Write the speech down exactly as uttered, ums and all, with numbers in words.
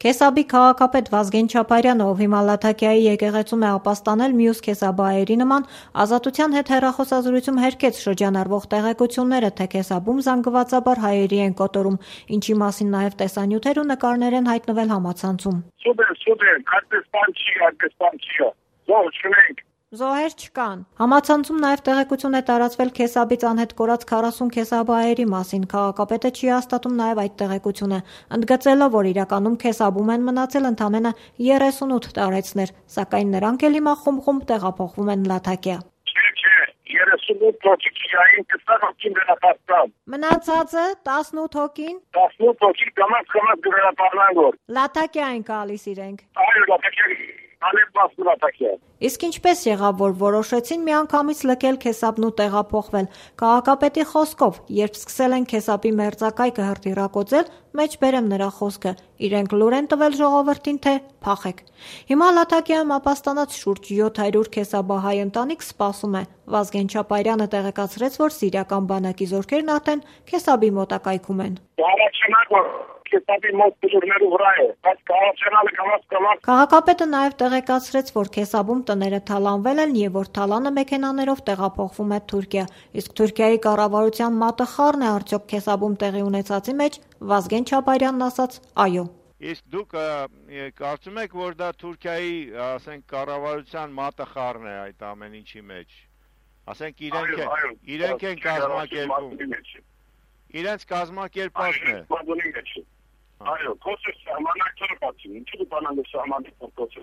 Քեսաբի քաղաքապետ Վազգեն Չապարյանը, ով հիմա Լաթաքիայի եկեղեցում է ապաստանել մյուս քեսաբահերի նման, Ազատության հետ հեռախոսազրույցում հերքեց շրջանառվող տեղեկությունները, թե Քեսաբում զանգվածաբար հայերի են կոտորում, ինչի մասին նաև տեսանյութեր ու նկարներ են հայտնվել համացանցում։ Սուպեր, սուպեր, այդպես բան չի, այդպես բան չի։ Զոհ չունենք։ Զոհեր չկան։ Համացանցում նաև տեղեկություն է տարածվել Քեսաբից անհետ կորած քառասուն քեսաբահերի մասին։ Քաղաքապետը չի հաստատում նաև այդ տեղեկությունը, ընդգծելով, որ իրականում Քեսաբում են մնացել ընդամենը երեսունութ տարեցներ, սակայն նրանք էլ հիմա խումբ-խումբ տեղափոխվում են Լաթաքիա։ Չէ, չէ, երեսունութ հոգի քիային տասնութ հոգին վերապատկան։ Մնացածը տասնութ հոգին։ տասնութ հոգի կամաց կամաց վերապառնան որ։ Լաթաքիա են գալիս իրենք։ Այո, Լաթաքիա Իսկ ինչպես եղավ, որ որոշեցին միանգամից լքել Քեսաբն ու տեղափոխվել։ Քաղաքապետի խոսքով, երբ սկսել են Քեսաբի մերձակայքը հրթիռակոծել, մեջ բերեմ նրա խոսքը, իրենք լուր են տվել ժողովրդին, թե փախեք։ Հիմա Լաթաքիայում ապաստանած շուրջ յոթ հարյուր քեսաբահայ ընտանիք սպասում է։ Վազգեն Չապարյանը տեղեկացրեց, որ սիրիական բանակի զորքերն արդեն Քեսաբի մոտակայքում են։ Քաղաքապետը նաև տեղեկացրեց, որ Քեսաբում տները թալանվել են և որ թալանը մեքենաներով տեղափոխվում է Թուրքիա, իսկ Թուրքիայի կառավարության մատը խառն է արդյոք Քեսաբում տեղի ունեցածի մեջ, Վազգեն Չապարյանն ասաց՝ այո։ Իսկ դուք կարծում եք, որ դա Թուրքիայի, ասենք, կառավարության մատը խառն է այդ ամեն ինչի մեջ, ասենք իրենք են կազմակերպում, իրենց կազմակերպածն է։ Այո, կոսը սահմանակները բացին, ինչու բանալը սահմանակը կոսը։